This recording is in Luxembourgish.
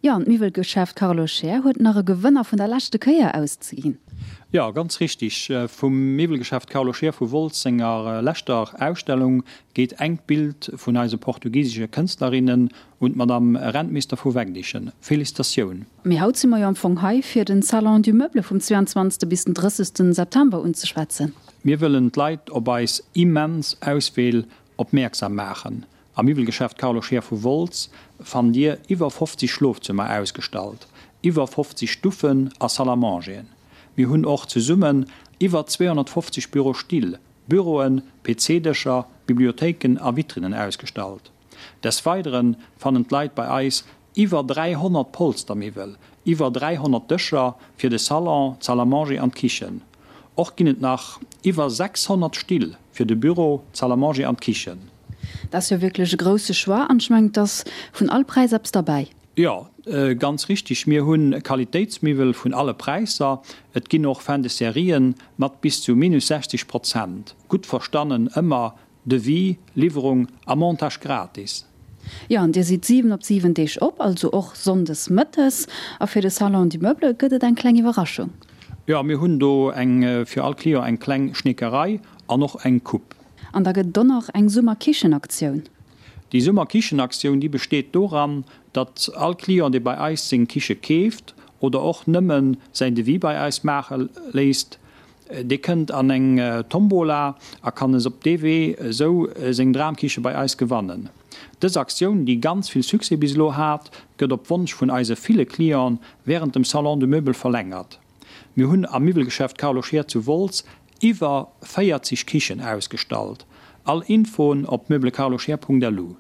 Jo, an d'Miwwelgeschäft Carlo Scheer huet nach e Gewënner vun der leschte Kéier auszeginn. Jo, ganz richtig. Vum Miwwelgeschäft Carlo Scheer vu Wolz senger leschter Ausstellung geet engt Bild vun eise portugisesche Kënstlerinnen un d'Madame Rentmeester vu Wegdichen. Félicitatioun! Mee haut si mer jo am Fong hei, fir den Salon du Meuble vum 22. bis den 30. September unzeschwätzen. Mir wëllen d'Leit op eis immens Auswiel opmierksam maachen. Am Miwwelgeschäft Carlo Scheer vu Wolz fannt Dir iwwer 50 Schlofzëmmer ausgestallt, iwwer 50 Stuffen a Salle à mangeren. Mir hunn och zesummen iwwer 250 Bürostill, Büroen, PC-Dëscher, Bibliothéiken a Vitrinnen ausgestallt. Des Weidere fannen d'Leit bei eis iwwer 300 Polstermiwwel, iwwer 300 Dëscher fir de Salon, d'Salle à manger an d'Kichen. Och ginn et nach iwwer 600 Still fir de Büro, d'Salle à manger an d'Kichen. Dat ass jo wierklech e grousse Choix an ech mengen, et ass vun all Präis eppes derbäi. Jo, ganz richtig. Mir hu Qualitéitsmiwwel vun alle Präisser. Et ginn och Fin de Serien mat bis zu minus 60 Prozent. Gutt verstannen, ëmmer Devis, Liwwerung a Montage gratis. Jo, an dir sidd 7 op 7 Deeg op, also och Sonndes mëttes. A fir de Salon du Meuble gëtt et eng kleng Iwwerraschung. Jo, mir hunn do eng fir all Client eng kleng Schneekerei an och eng Coupe. An da gëtt et och nach eng Summerkichenaktioun. Déi Summerkichenaktioun, déi besteet doran, datt all Client, dee bei eis seng Kiche keeft oder och nëmmen säin Devis bei eis maache léisst, Dee kënnt an eng Tombola a kann es op dee Wee esou seng Dramkiche bei eis gewannen. Dës Aktioun, déi ganz vill Succès bis elo hat, gëtt op Wonsch vun eise ville Clienten wärend dem Salon du Meuble verlängert. Mir hunn am Miwwelgeschäft Carlo Scheer zu Wolz iwwer 40 Kichen ausgestallt. All Infoen op meublecarloscheer.lu.